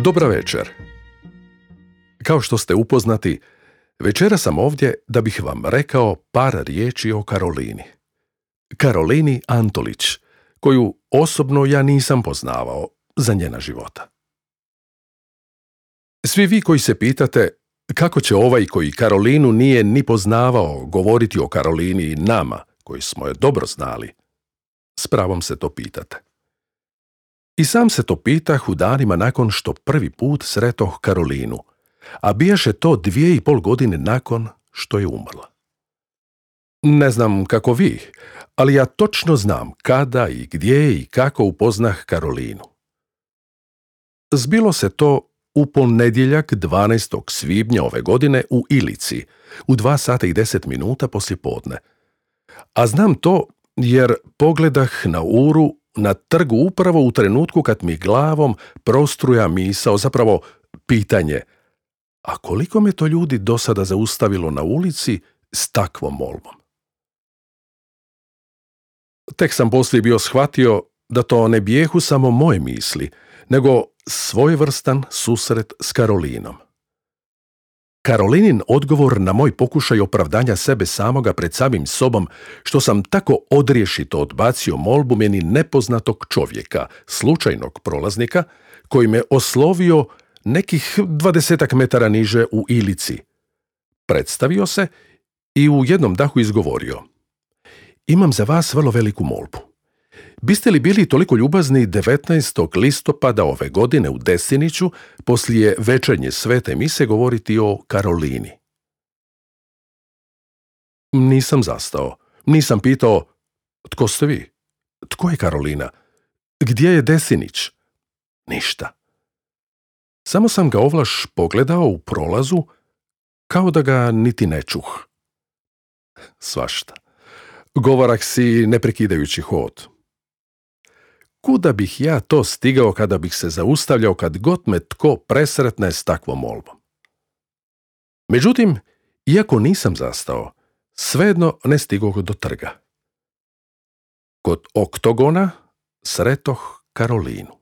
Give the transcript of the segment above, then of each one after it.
Dobra večer. Kao što ste upoznati, večera sam ovdje da bih vam rekao par riječi o Karolini. Karolini Antolić, koju osobno ja nisam poznavao za njena života. Svi vi koji se pitate kako će ovaj koji Karolinu nije ni poznavao govoriti o Karolini i nama, koji smo je dobro znali, s pravom se to pitate. I sam se to pitah u danima nakon što prvi put sretoh Karolinu, a bijaše to 2,5 godine nakon što je umrla. Ne znam kako vi, ali ja točno znam kada i gdje i kako upoznah Karolinu. Zbilo se to u ponedjeljak 12. svibnja ove godine u Ilici, u 2 sata i 10 minuta poslijepodne. A znam to jer pogledah na uru na trgu upravo u trenutku kad mi glavom prostruja misao, zapravo pitanje, a koliko me to ljudi do sada zaustavilo na ulici s takvom molbom? Tek sam poslije bio shvatio da to ne bijehu samo moje misli, nego svojevrstan susret s Karolinom. Karolinin odgovor na moj pokušaj opravdanja sebe samoga pred samim sobom, što sam tako odriješito odbacio molbu meni nepoznatog čovjeka, slučajnog prolaznika, koji me oslovio nekih 20 metara niže u Ilici. Predstavio se i u jednom dahu izgovorio: imam za vas vrlo veliku molbu. Biste li bili toliko ljubazni 19. listopada ove godine u Desiniću, poslije večernje svete mise, govoriti o Karolini? Nisam zastao. Nisam pitao, tko ste vi? Tko je Karolina? Gdje je Desinić? Ništa. Samo sam ga ovlaš pogledao u prolazu, kao da ga niti ne čuh. Svašta. Govorah si ne prekidajući hod. Kuda bih ja to stigao kada bih se zaustavljao kad god me tko presretne s takvom molbom? Međutim, iako nisam zastao, svejedno ne stigoh do trga. Kod oktogona sretoh Karolinu.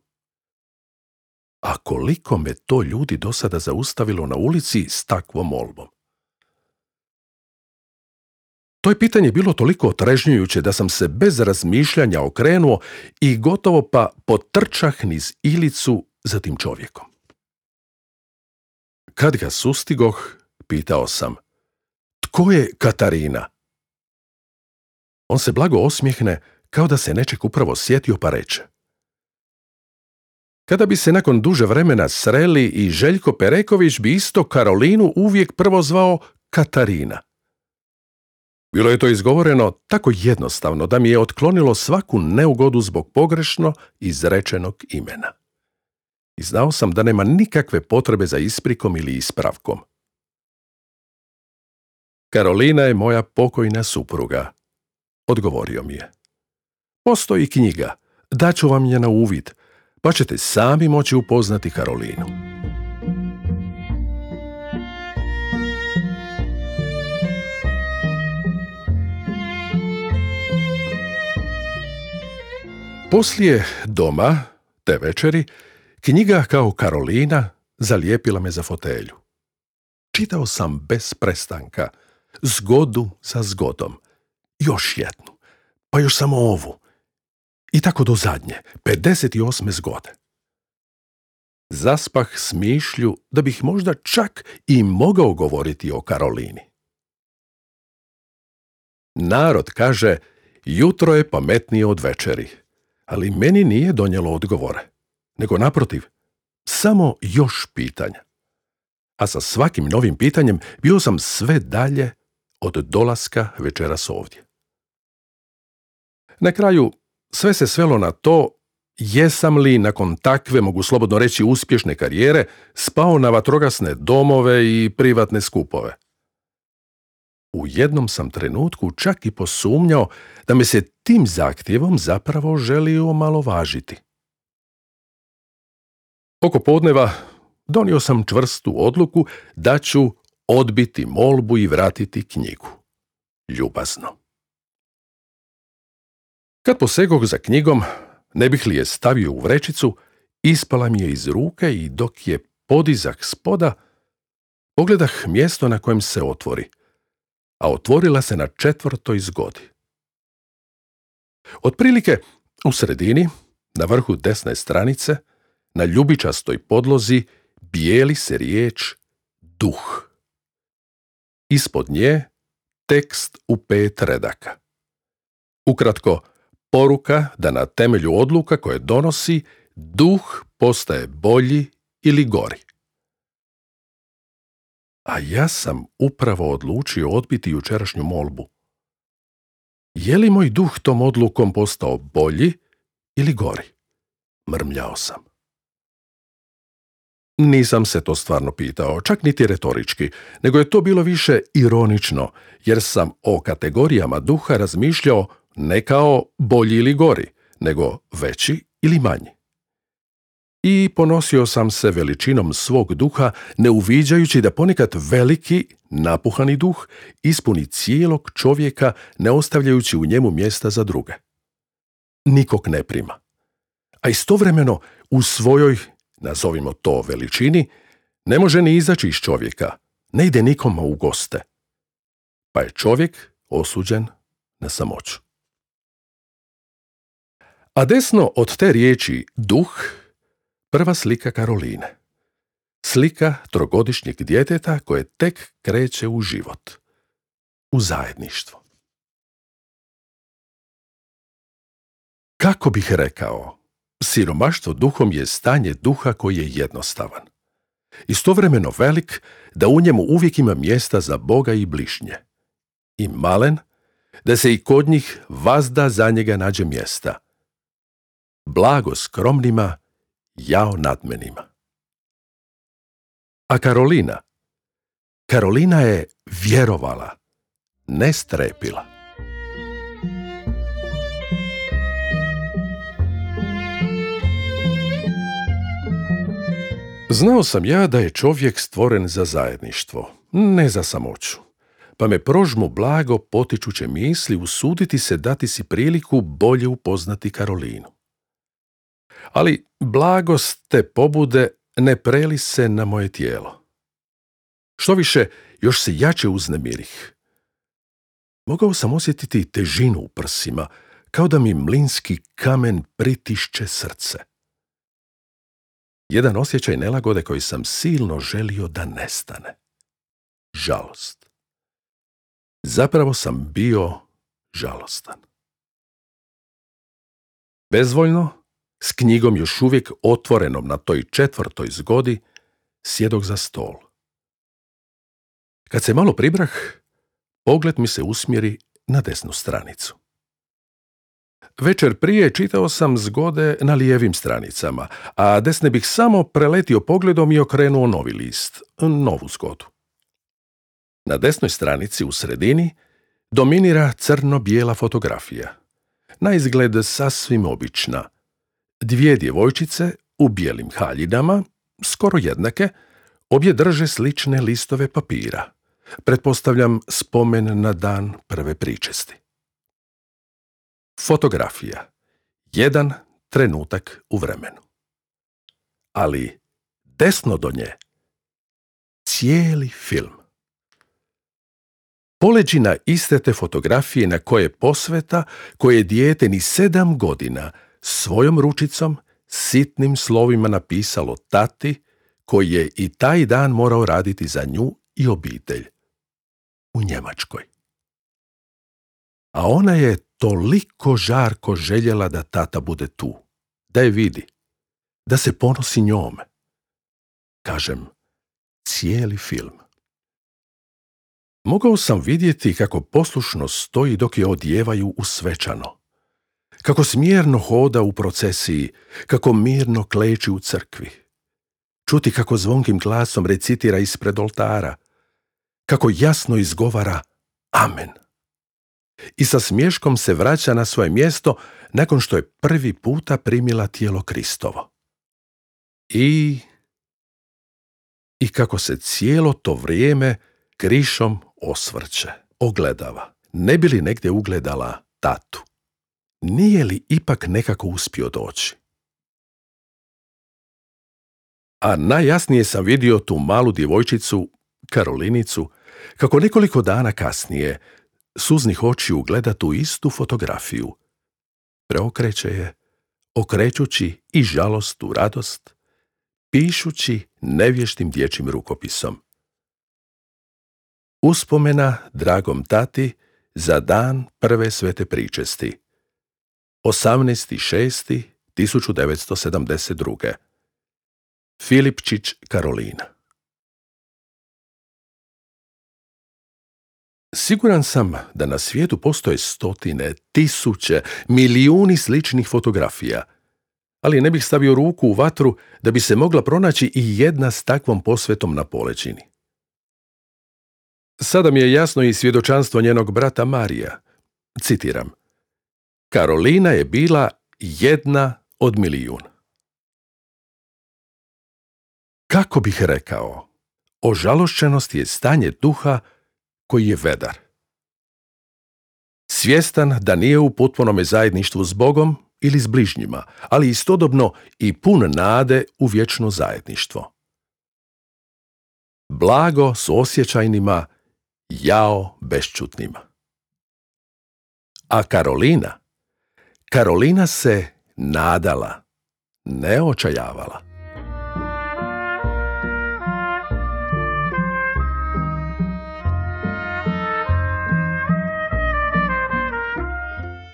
A koliko me to ljudi do sada zaustavilo na ulici s takvom molbom? To je pitanje bilo toliko otrežnjujuće da sam se bez razmišljanja okrenuo i gotovo pa potrčah niz Ilicu za tim čovjekom. Kad ga sustigoh, pitao sam: tko je Katarina? On se blago osmijehne, kao da se nečeg upravo sjetio, pa reče: kada bi se nakon duže vremena sreli i Željko Pereković bi isto Karolinu uvijek prvo zvao Katarina. Bilo je to izgovoreno tako jednostavno da mi je otklonilo svaku neugodu zbog pogrešno izrečenog imena. I znao sam da nema nikakve potrebe za isprikom ili ispravkom. Karolina je moja pokojna supruga, odgovorio mi je. Postoji knjiga, daću vam je na uvid, pa ćete sami moći upoznati Karolinu. Poslije doma, te večeri, knjiga kao Karolina zalijepila me za fotelju. Čitao sam bez prestanka, zgodu za zgodom, još jednu, pa još samo ovu, i tako do zadnje, 58. zgode. Zaspah s mišlju da bih možda čak i mogao govoriti o Karolini. Narod kaže, jutro je pametnije od večeri, ali meni nije donijelo odgovore, nego naprotiv, samo još pitanja. A sa svakim novim pitanjem bio sam sve dalje od dolaska večeras ovdje. Na kraju sve se svelo na to jesam li nakon takve, mogu slobodno reći, uspješne karijere spao na vatrogasne domove i privatne skupove. U jednom sam trenutku čak i posumnjao da me se tim zahtjevom zapravo želi omalovažiti. Oko podneva donio sam čvrstu odluku da ću odbiti molbu i vratiti knjigu. Ljubazno. Kad posegoh za knjigom, ne bih li je stavio u vrećicu, Ispala mi je iz ruke i dok je podizah spoda, pogledah mjesto na kojem se otvori, a otvorila se na 4. zgodi. Otprilike u sredini, na vrhu desne stranice, na ljubičastoj podlozi bijeli se riječ duh. Ispod nje tekst u 5 redaka. Ukratko, poruka da na temelju odluka koje donosi, duh postaje bolji ili gori. A ja sam upravo odlučio odbiti jučerašnju molbu. Je li moj duh tom odlukom postao bolji ili gori? Mrmljao sam. Nisam se to stvarno pitao, čak niti retorički, nego je to bilo više ironično, jer sam o kategorijama duha razmišljao ne kao bolji ili gori, nego veći ili manji. I ponosio sam se veličinom svog duha, ne uviđajući da ponekad veliki, napuhani duh ispuni cijelog čovjeka, ne ostavljajući u njemu mjesta za druge. Nikog ne prima. A istovremeno u svojoj, nazovimo to, veličini, ne može ni izaći iz čovjeka, ne ide nikoma u goste. Pa je čovjek osuđen na samoću. A desno od te riječi duh, prva slika Karoline. Slika 3-godišnjeg djeteta koje tek kreće u život, u zajedništvo. Kako bih rekao, siromaštvo duhom je stanje duha koji je jednostavan. Istovremeno velik da u njemu uvijek ima mjesta za Boga i bližnje. I malen da se i kod njih vazda za njega nađe mjesta. Blago skromnima, jao nadmenima. A Karolina je vjerovala, ne strepila. Znao sam ja da je čovjek stvoren za zajedništvo, ne za samoću, pa me prožmu blago potičuće misli usuditi se dati si priliku bolje upoznati Karolinu. Ali blagost te pobude ne preli se na moje tijelo. Štoviše, još se jače uznemirih. Mogao sam osjetiti težinu u prsima, kao da mi mlinski kamen pritišće srce. Jedan osjećaj nelagode koji sam silno želio da nestane. Žalost. Zapravo sam bio žalostan. Bezvoljno, s knjigom još uvijek otvorenom na toj 4. zgodi, sjedok za stol. Kad se malo pribrah, pogled mi se usmjeri na desnu stranicu. Večer prije čitao sam zgode na lijevim stranicama, a desne bih samo preletio pogledom i okrenuo novi list, novu zgodu. Na desnoj stranici u sredini dominira crno-bijela fotografija. Na izgled sasvim obična. 2 djevojčice u bijelim haljinama, skoro jednake, obje drže slične listove papira. Pretpostavljam spomen na dan prve pričesti. Fotografija. 1 trenutak u vremenu. Ali desno do nje cijeli film. Poleđina iste te fotografije na koje posveta, koje dijete ni 7 godina svojom ručicom, sitnim slovima napisalo tati, koji je i taj dan morao raditi za nju i obitelj. U Njemačkoj. A ona je toliko žarko željela da tata bude tu, da je vidi, da se ponosi njome. Kažem, cijeli film. Mogao sam vidjeti kako poslušno stoji dok je odjevaju u svečano, kako smjerno hoda u procesiji, kako mirno kleči u crkvi, čuti kako zvonkim glasom recitira ispred oltara, kako jasno izgovara amen. I sa smješkom se vraća na svoje mjesto nakon što je prvi puta primila tijelo Kristovo. I kako se cijelo to vrijeme krišom osvrće, ogledava, ne bi li negdje ugledala tatu. Nije li ipak nekako uspio doći? A najjasnije sam vidio tu malu djevojčicu, Karolinicu, kako nekoliko dana kasnije suznih očiju gleda tu istu fotografiju. Preokreće je, okrećući i žalost u radost, pišući nevještim dječjim rukopisom. Uspomena dragom tati za dan prve svete pričesti. 18.6.1972. Filipčić, Karolina. Siguran sam da na svijetu postoje stotine, tisuće, milijuni sličnih fotografija, ali ne bih stavio ruku u vatru da bi se mogla pronaći i jedna s takvom posvetom na polećini. Sada mi je jasno i svjedočanstvo njenog brata Marija. Citiram: Karolina je bila jedna od milijun. Kako bih rekao, ožalošćenost je stanje duha koji je vedar. Svjestan da nije u potpunome zajedništvu s Bogom ili s bližnjima, ali istodobno i pun nade u vječno zajedništvo. Blago s osjećajnima, jao bešćutnima. A Karolina se nadala, ne očajavala.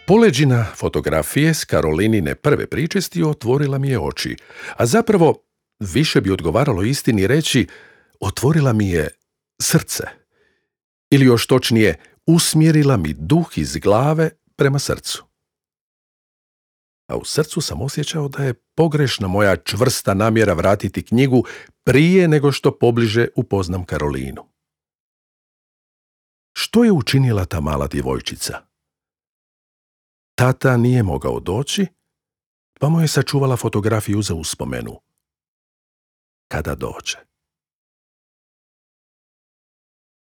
Poleđina fotografije s Karolinine prve pričesti otvorila mi je oči, a zapravo više bi odgovaralo istini reći otvorila mi je srce. Ili još točnije, usmjerila mi duh iz glave prema srcu. A u srcu sam osjećao da je pogrešna moja čvrsta namjera vratiti knjigu prije nego što pobliže upoznam Karolinu. Što je učinila ta mala djevojčica? Tata nije mogao doći, pa mu je sačuvala fotografiju za uspomenu. Kada dođe.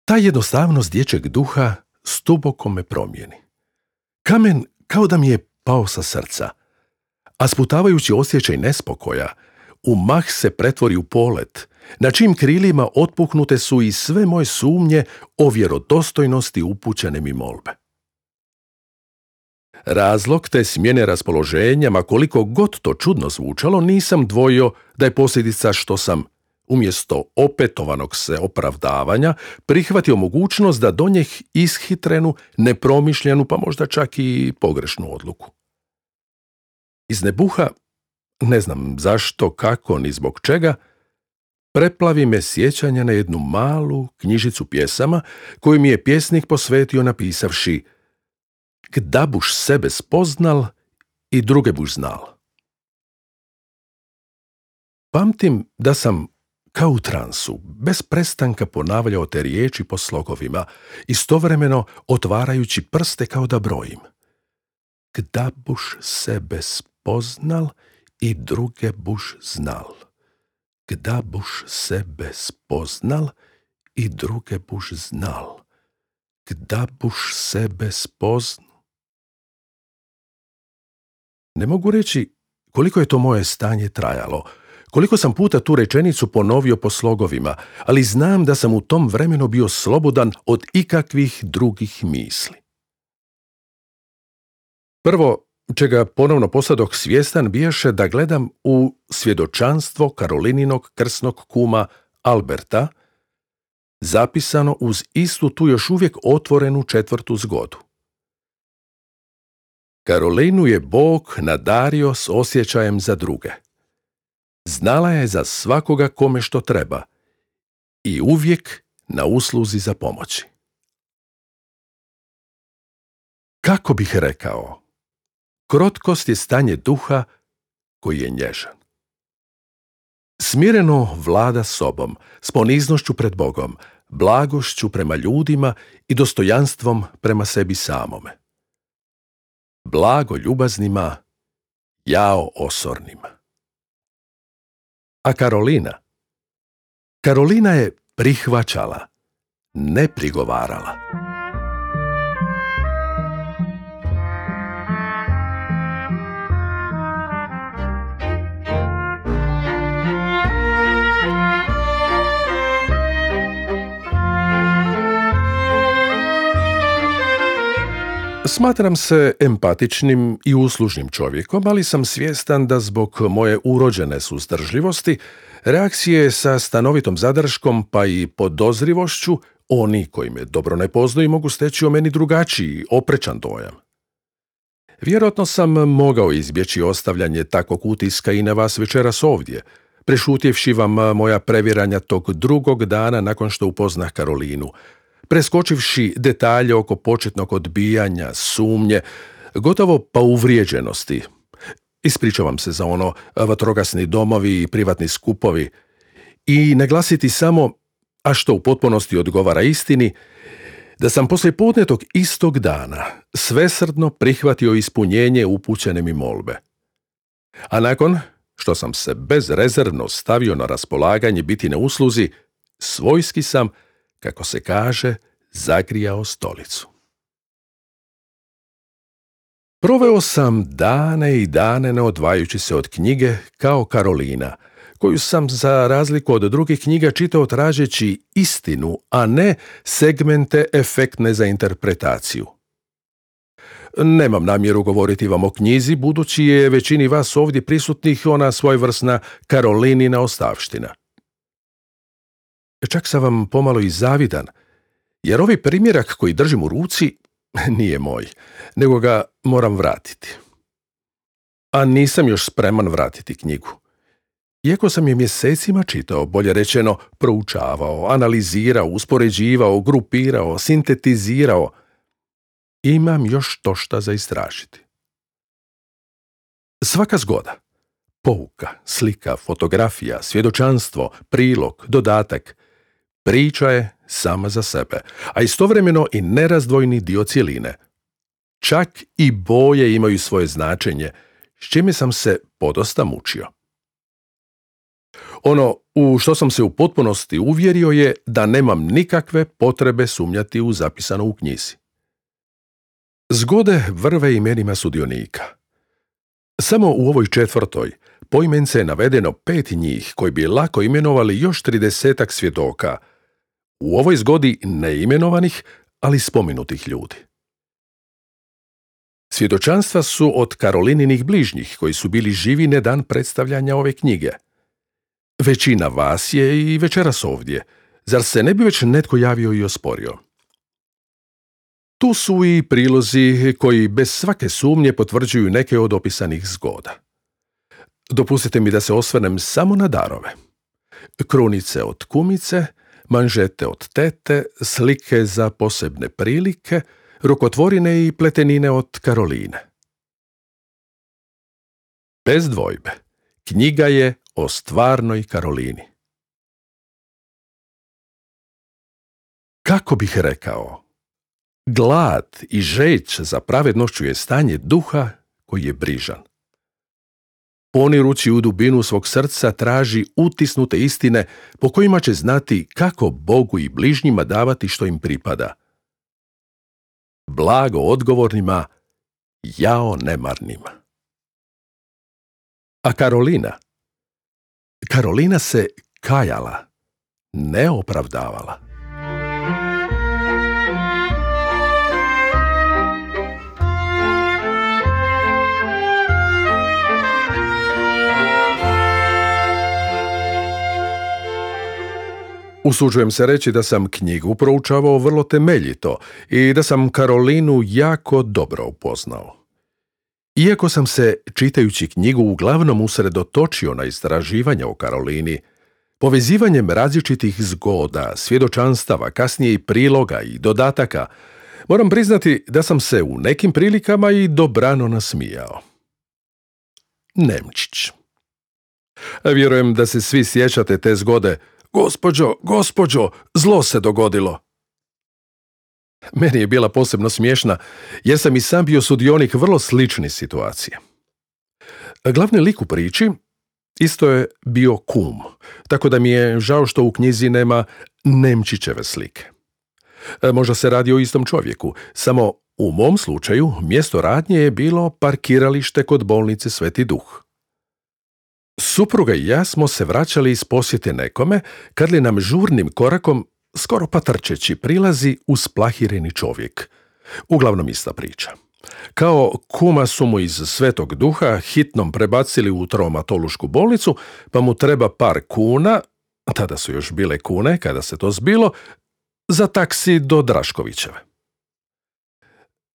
Ta jednostavnost dječjeg duha stuboko me promijeni. Kamen kao da mi je pao sa srca, a sputavajući osjećaj nespokoja, u mah se pretvori u polet, na čijim krilima otpuhnute su i sve moje sumnje o vjerodostojnosti upućene mi molbe. Razlog te smjene raspoloženja, ma koliko god to čudno zvučalo, nisam dvojio da je posljedica što sam, umjesto opetovanog se opravdavanja, prihvatio mogućnost da donijeh ishitrenu, nepromišljenu, pa možda čak i pogrešnu odluku. Iz nebuha, ne znam zašto, kako, ni zbog čega, preplavi me sjećanje na jednu malu knjižicu pjesama koju mi je pjesnik posvetio napisavši: Gda buš sebe spoznal i druge buš znal. Pamtim da sam kao u transu, bez prestanka ponavljao te riječi po slogovima, istovremeno otvarajući prste kao da brojim. Gda buš sebe spoznal i druge buš znal. Gda buš sebe spoznal i druge buš znal. Gda buš sebe spoznal. Ne mogu reći koliko je to moje stanje trajalo, koliko sam puta tu rečenicu ponovio po slogovima, ali znam da sam u tom vremenu bio slobodan od ikakvih drugih misli. Prvo, čega ponovno postadoh svjestan, bijaše da gledam u svjedočanstvo Karolininog krsnog kuma Alberta, zapisano uz istu tu još uvijek otvorenu 4. zgodu. Karolinu je Bog nadario s osjećajem za druge. Znala je za svakoga kome što treba i uvijek na usluzi za pomoći. Kako bih rekao, krotkost je stanje duha koji je nježan. Smireno vlada sobom, s poniznošću pred Bogom, blagošću prema ljudima i dostojanstvom prema sebi samome. Blago ljubaznima, jao osornima. A Karolina je prihvaćala, ne prigovarala. Smatram se empatičnim i uslužnim čovjekom, ali sam svjestan da zbog moje urođene suzdržljivosti, reakcije sa stanovitom zadrškom pa i podozrivošću, oni koji me dobro ne poznaju mogu steći o meni drugačiji, oprečan dojam. Vjerojatno sam mogao izbjeći ostavljanje takvog utiska i na vas večeras ovdje, prešutjevši vam moja previranja tog drugog dana nakon što upoznah Karolinu, preskočivši detalje oko početnog odbijanja, sumnje, gotovo pa uvrijeđenosti. Ispričavam se za ono vatrogasni domovi i privatni skupovi i naglasiti samo, a što u potpunosti odgovara istini, da sam poslije podne tog istog dana svesrdno prihvatio ispunjenje upućene mi molbe. A nakon što sam se bezrezervno stavio na raspolaganje biti na usluzi, svojski sam, kako se kaže, zagrijao stolicu. Proveo sam dane i dane ne odvajajući se od knjige kao Karolina, koju sam za razliku od drugih knjiga čitao tražeći istinu, a ne segmente efektne za interpretaciju. Nemam namjeru govoriti vam o knjizi, budući je većini vas ovdje prisutnih ona svojevrsna Karolinina ostavština. Čak sam vam pomalo i zavidan, jer ovaj primjerak koji držim u ruci nije moj, nego ga moram vratiti. A nisam još spreman vratiti knjigu. Iako sam je mjesecima čitao, bolje rečeno proučavao, analizirao, uspoređivao, grupirao, sintetizirao, imam još to šta za istražiti. Svaka zgoda, pouka, slika, fotografija, svjedočanstvo, prilog, dodatak, priča je sama za sebe, a istovremeno i nerazdvojni dio cjeline. Čak i boje imaju svoje značenje, s čime sam se podosta mučio. Ono u što sam se u potpunosti uvjerio je da nemam nikakve potrebe sumnjati u zapisano u knjizi. Zgode vrve imenima sudionika. Samo u ovoj 4. poimence je navedeno 5 njih koji bi lako imenovali još 30 svjedoka, u ovoj zgodi neimenovanih, ali spomenutih ljudi. Svjedočanstva su od Karolininih bližnjih koji su bili živi na dan predstavljanja ove knjige. Većina vas je i večeras ovdje, zar se ne bi već netko javio i osporio? Tu su i prilozi koji bez svake sumnje potvrđuju neke od opisanih zgoda. Dopustite mi da se osvrnem samo na darove. Krunice od kumice, manžete od tete, slike za posebne prilike, rukotvorine i pletenine od Karoline. Bez dvojbe, knjiga je o stvarnoj Karolini. Kako bih rekao, glad i žeć za pravednošću je stanje duha koji je brižan. Ponirući u dubinu svog srca traži utisnute istine po kojima će znati kako Bogu i bližnjima davati što im pripada. Blago odgovornima, jao nemarnima. A Karolina se kajala, ne opravdavala. Usuđujem se reći da sam knjigu proučavao vrlo temeljito i da sam Karolinu jako dobro upoznao. Iako sam se, čitajući knjigu, uglavnom usredotočio na istraživanje o Karolini, povezivanjem različitih zgoda, svjedočanstava, kasnije i priloga i dodataka, moram priznati da sam se u nekim prilikama i dobrano nasmijao. Nemčić. Vjerujem da se svi sjećate te zgode: Gospođo, zlo se dogodilo. Meni je bila posebno smiješna, jer sam i sam bio sudionik vrlo slične situacije. Glavni lik u priči isto je bio kum, tako da mi je žao što u knjizi nema Nemčićeve slike. Možda se radi o istom čovjeku, samo u mom slučaju mjesto radnje je bilo parkiralište kod bolnice Sveti Duh. Supruga i ja smo se vraćali iz posjete nekome, kad li nam žurnim korakom, skoro pa trčeći, prilazi usplahireni čovjek. Uglavnom ista priča. Kao kuma su mu iz Svetog Duha hitnom prebacili u traumatološku bolnicu, pa mu treba par kuna, tada su još bile kune kada se to zbilo, za taksi do Draškovićeve.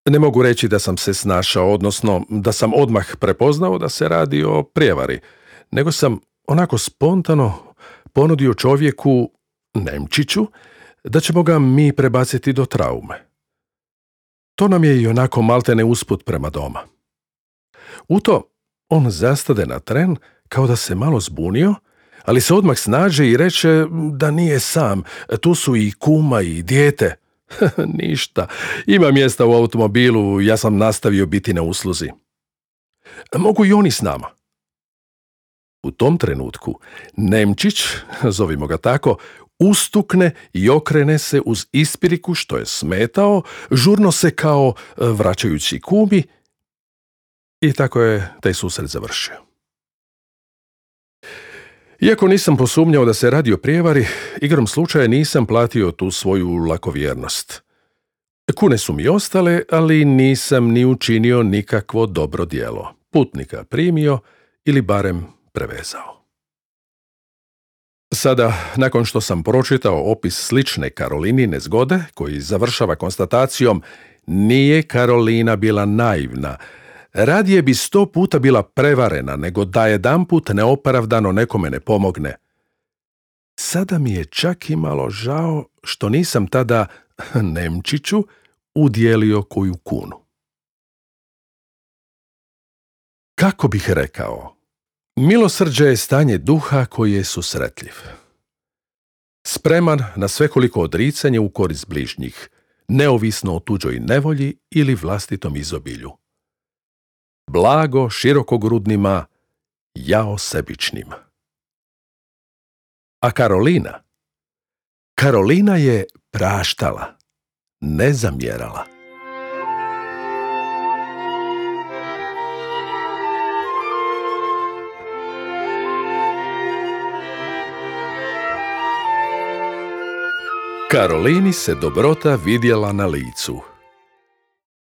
Ne mogu reći da sam se snašao, odnosno da sam odmah prepoznao da se radi o prijevari, nego sam onako spontano ponudio čovjeku, Nemčiću, da ćemo ga mi prebaciti do traume. To nam je i onako maltene usput prema doma. U to on zastade na tren kao da se malo zbunio, ali se odmah snađe i reče da nije sam, tu su i kuma i dijete. Ništa, ima mjesta u automobilu, ja sam nastavio biti na usluzi. Mogu i oni s nama. U tom trenutku Nemčić, zovimo ga tako, ustukne i okrene se uz ispiriku što je smetao, žurno se kao vraćajući kumi, i tako je taj susret završio. Iako nisam posumnjao da se radi o prijevari, igrom slučaja nisam platio tu svoju lakovjernost. Kune su mi ostale, ali nisam ni učinio nikakvo dobro djelo. Putnika primio ili barem prevezao. Sada, nakon što sam pročitao opis slične Karolinine zgode, koji završava konstatacijom nije Karolina bila naivna, radije bi 100 puta bila prevarena nego da jedanput neopravdano nekome ne pomogne. Sada mi je čak i malo žao što nisam tada Nemčiću udjelio koju kunu. Kako bih rekao? Milosrđe je stanje duha koji je susretljiv. Spreman na svekoliko odricanje u korist bližnjih, neovisno o tuđoj nevolji ili vlastitom izobilju. Blago širokogrudnima, jao sebičnima. A Karolina? Karolina je praštala, ne zamjerala. Karolini se dobrota vidjela na licu.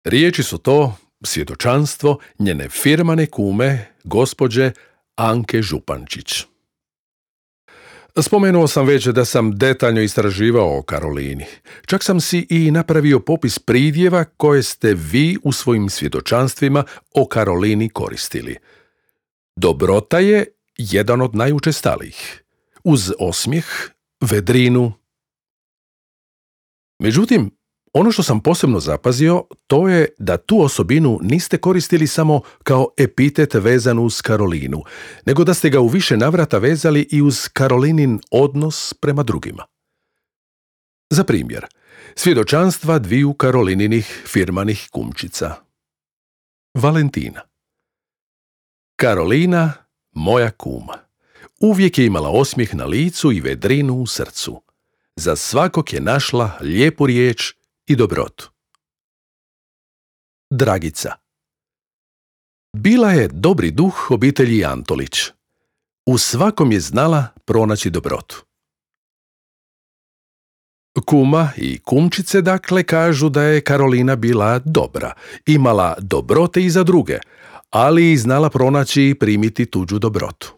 Riječi su to svjedočanstvo njene firmane kume, gospođe Anke Župančić. Spomenuo sam već da sam detaljno istraživao o Karolini. Čak sam si i napravio popis pridjeva koje ste vi u svojim svjedočanstvima o Karolini koristili. Dobrota je jedan od najučestalijih, uz osmijeh, vedrinu. Međutim, ono što sam posebno zapazio, to je da tu osobinu niste koristili samo kao epitet vezan uz Karolinu, nego da ste ga u više navrata vezali i uz Karolinin odnos prema drugima. Za primjer, svjedočanstva dviju Karolininih firmanih kumčica. Valentina. Karolina, moja kuma. Uvijek je imala osmijeh na licu i vedrinu u srcu. Za svakog je našla lijepu riječ i dobrotu. Dragica. Bila je dobri duh obitelji Antolić. U svakom je znala pronaći dobrotu. Kuma i kumčice dakle kažu da je Karolina bila dobra, imala dobrote i za druge, ali i znala pronaći i primiti tuđu dobrotu.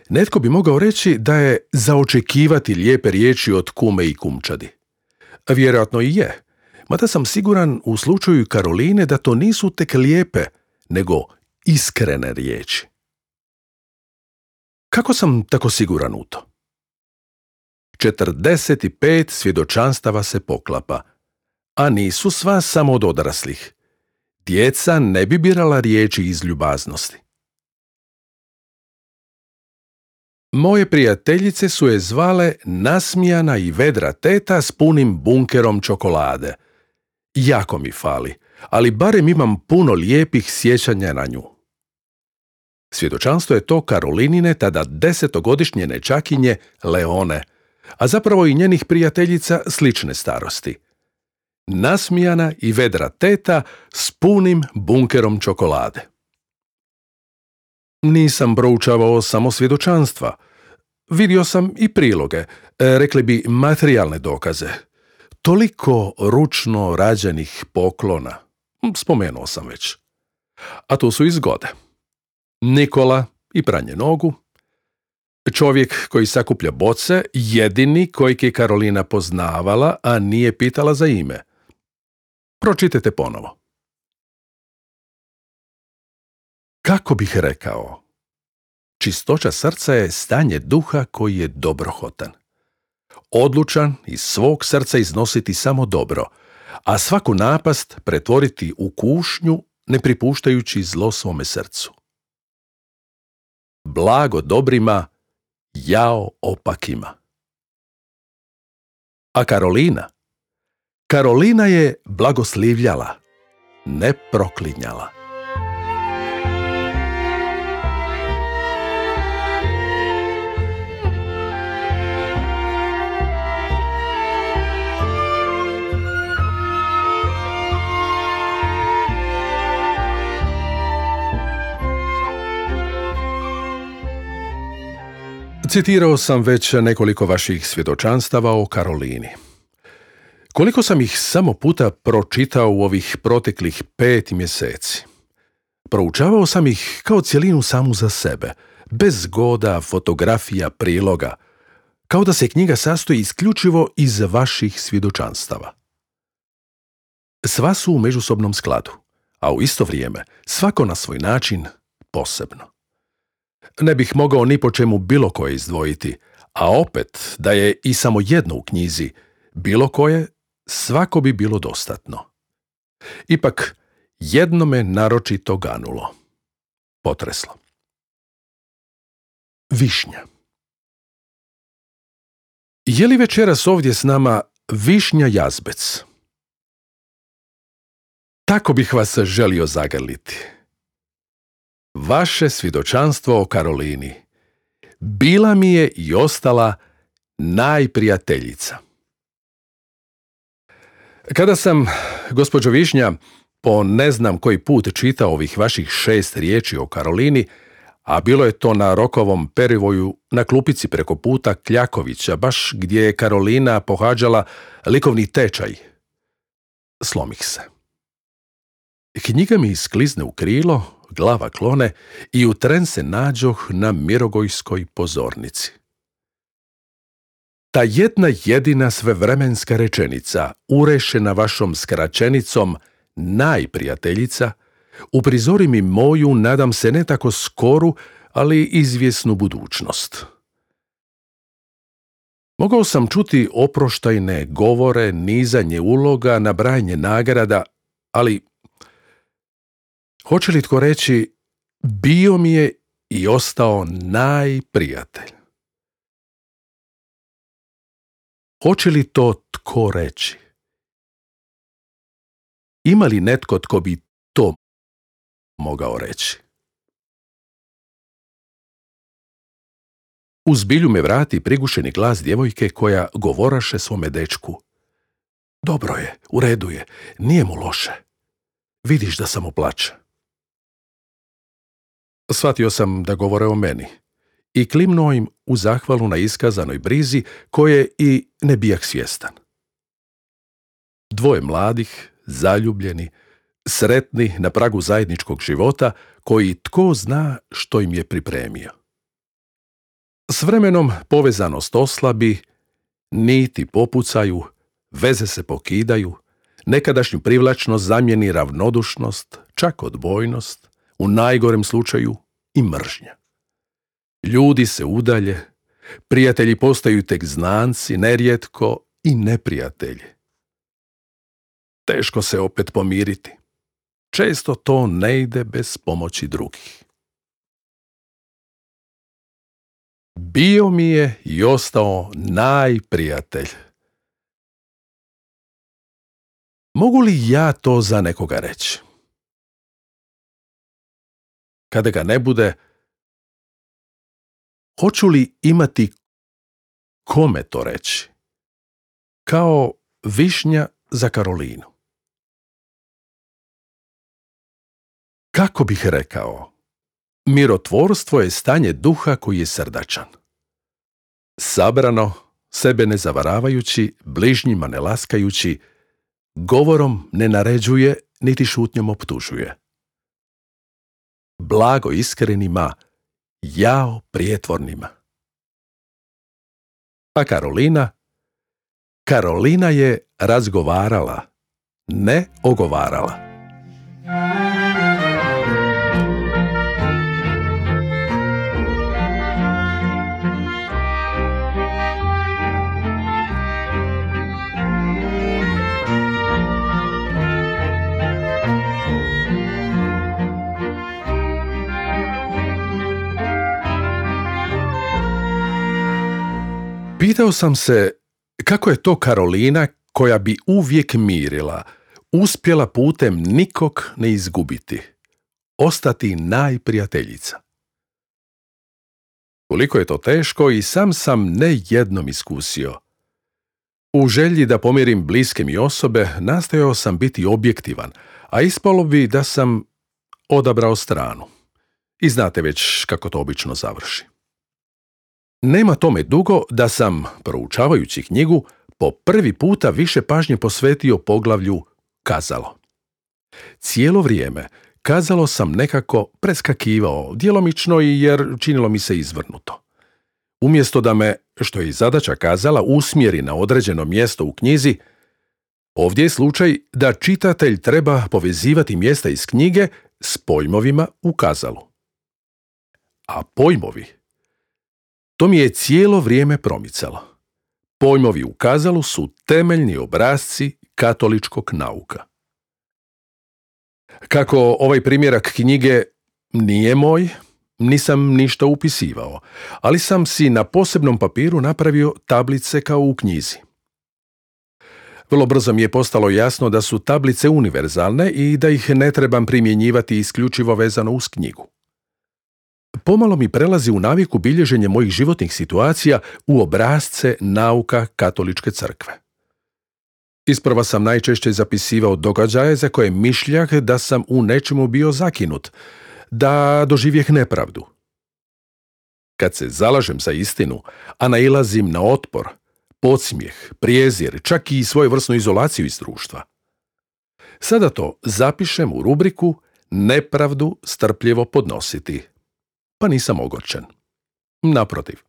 Netko bi mogao reći da je za očekivati lijepe riječi od kume i kumčadi. Vjerojatno i je, mada sam siguran u slučaju Karoline da to nisu tek lijepe, nego iskrene riječi. Kako sam tako siguran u to? 45 svjedočanstava se poklapa, a nisu sva samo od odraslih. Djeca ne bi birala riječi iz ljubaznosti. Moje prijateljice su je zvale nasmijana i vedra teta s punim bunkerom čokolade. Jako mi fali, ali barem imam puno lijepih sjećanja na nju. Svjedočanstvo je to Karolinine tada 10-godišnje nečakinje Leone, a zapravo i njenih prijateljica slične starosti. Nasmijana i vedra teta s punim bunkerom čokolade. Nisam proučavao samo svjedočanstva. Vidio sam i priloge, rekli bi materijalne dokaze. Toliko ručno rađenih poklona, spomenuo sam već. A tu su i zgode. Nikola i pranje nogu, čovjek koji sakuplja boce, jedini kojeg je Karolina poznavala, a nije pitala za ime. Pročitajte ponovo. Kako bih rekao? Čistoća srca je stanje duha koji je dobrohotan. Odlučan iz svog srca iznositi samo dobro, a svaku napast pretvoriti u kušnju, ne pripuštajući zlo svome srcu. Blago dobrima, jao opakima. A Karolina? Karolina je blagoslivljala, ne proklinjala. Citirao sam već nekoliko vaših svjedočanstava o Karolini. Koliko sam ih samo puta pročitao u ovih proteklih 5 mjeseci. Proučavao sam ih kao cjelinu samu za sebe, bez zgoda, fotografija, priloga, kao da se knjiga sastoji isključivo iz vaših svjedočanstava. Sva su u međusobnom skladu, a u isto vrijeme svako na svoj način posebno. Ne bih mogao ni po čemu bilo koje izdvojiti, a opet da je i samo jedno u knjizi, bilo koje, svako bi bilo dostatno. Ipak, jedno me naročito ganulo. Potreslo. Višnja. Je li večeras ovdje s nama Višnja Jazbec? Tako bih vas želio zagrliti. Vaše svjedočanstvo o Karolini bila mi je i ostala najprijateljica. Kada sam, gospođo Višnja, po ne znam koji put čitao ovih vaših 6 riječi o Karolini, a bilo je to na Rokovom perivoju na klupici preko puta Kljakovića, baš gdje je Karolina pohađala likovni tečaj, slomih se. Knjiga mi isklizne u krilo, glava klone i u tren se nađoh na Mirogojskoj pozornici. Ta jedna jedina svevremenska rečenica, urešena vašom skraćenicom najprijateljica, uprizori mi moju, nadam se ne tako skoru, ali izvjesnu budućnost. Mogao sam čuti oproštajne govore, nizanje uloga, nabrajanje nagrada, ali hoće li tko reći, bio mi je i ostao najprijatelj? Hoće li to tko reći? Ima li netko tko bi to mogao reći? U zbilju me vrati prigušeni glas djevojke koja govoraše svome dečku. Dobro je, u redu je, nije mu loše. Vidiš da samo plače. Shvatio sam da govore o meni i klimnuo im u zahvalu na iskazanoj brizi koje i ne bijah svjestan. Dvoje mladih, zaljubljeni, sretni na pragu zajedničkog života koji tko zna što im je pripremio. S vremenom povezanost oslabi, niti popucaju, veze se pokidaju, nekadašnju privlačnost zamijeni ravnodušnost, čak odbojnost, u najgorem slučaju i mržnja. Ljudi se udalje, prijatelji postaju tek znanci, nerijetko i neprijatelji. Teško se opet pomiriti. Često to ne ide bez pomoći drugih. Bio mi je i ostao najprijatelj. Mogu li ja to za nekoga reći? Kada ga ne bude, hoću li imati kome to reći? Kao Višnja za Karolinu. Kako bih rekao? Mirotvorstvo je stanje duha koji je srdačan. Sabrano, sebe ne zavaravajući, bližnjima ne laskajući, govorom ne naređuje, niti šutnjom optužuje. Blago iskrenima, jao prijetvornima. A Karolina je razgovarala, ne ogovarala. Pitao sam se kako je to Karolina, koja bi uvijek mirila, uspjela putem nikog ne izgubiti, ostati najprijateljica. Koliko je to teško i sam ne jednom iskusio. U želji da pomirim bliske mi osobe, nastojao sam biti objektivan, a ispalo bi da sam odabrao stranu. I znate već kako to obično završi. Nema tome dugo da sam, proučavajući knjigu, po prvi puta više pažnje posvetio poglavlju kazalo. Cijelo vrijeme kazalo sam nekako preskakivao, djelomično i jer činilo mi se izvrnuto. Umjesto da me, što je i zadaća kazala, usmjeri na određeno mjesto u knjizi, ovdje je slučaj da čitatelj treba povezivati mjesta iz knjige s pojmovima u kazalu. A pojmovi, to mi je cijelo vrijeme promicalo. Pojmovi u kazalu su temeljni obrasci katoličkog nauka. Kako ovaj primjerak knjige nije moj, nisam ništa upisivao, ali sam si na posebnom papiru napravio tablice kao u knjizi. Vrlo brzo mi je postalo jasno da su tablice univerzalne i da ih ne trebam primjenjivati isključivo vezano uz knjigu. Pomalo mi prelazi u naviku bilježenje mojih životnih situacija u obrasce nauka katoličke crkve. Isprva sam najčešće zapisivao događaje za koje mišljah da sam u nečemu bio zakinut, da doživjeh nepravdu. Kad se zalažem za istinu, a nailazim na otpor, podsmijeh, prijezir, čak i svojevrsnu izolaciju iz društva. Sada to zapišem u rubriku nepravdu strpljivo podnositi. Pa nisam ogorčen. Naprotiv.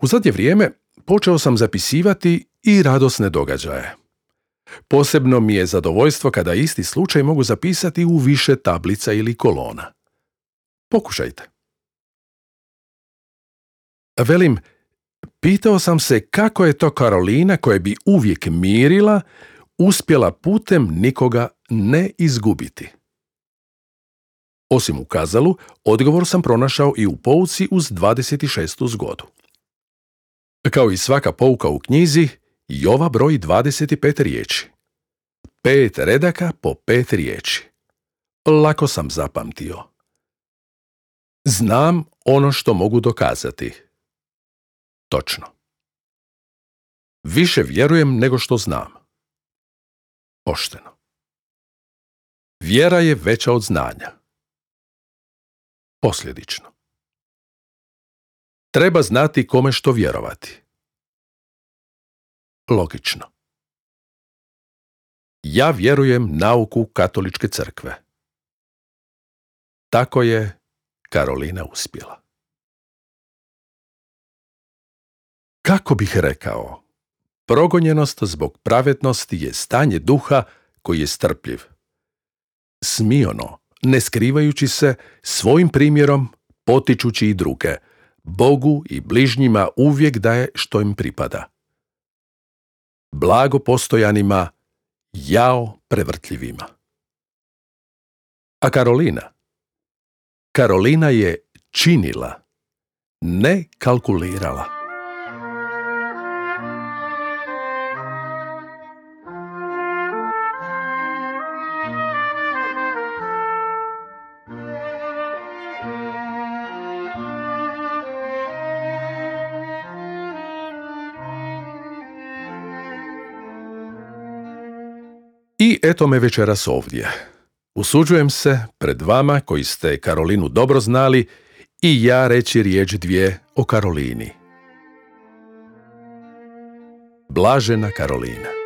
U zadnje vrijeme počeo sam zapisivati i radosne događaje. Posebno mi je zadovoljstvo kada isti slučaj mogu zapisati u više tablica ili kolona. Pokušajte. Velim, pitao sam se kako je to Karolina, koja bi uvijek mirila, uspjela putem nikoga ne izgubiti. Osim u kazalu, odgovor sam pronašao i u pouci uz 26. zgodu. Kao i svaka pouka u knjizi, i ova broji 25 riječi. 5 redaka po 5 riječi. Lako sam zapamtio. Znam ono što mogu dokazati. Točno. Više vjerujem nego što znam. Pošteno. Vjera je veća od znanja. Posljedično. Treba znati kome što vjerovati. Logično. Ja vjerujem nauku katoličke crkve. Tako je Karolina uspjela. Kako bih rekao, progonjenost zbog pravednosti je stanje duha koji je strpljiv. Smiono, ne skrivajući se, svojim primjerom potičući i druge, Bogu i bližnjima uvijek daje što im pripada. Blago postojanima, jao prevrtljivima. A Karolina je činila, ne kalkulirala. I eto me večeras ovdje. Usuđujem se pred vama koji ste Karolinu dobro znali i ja reći riječ dvije o Karolini. Blažena Karolina.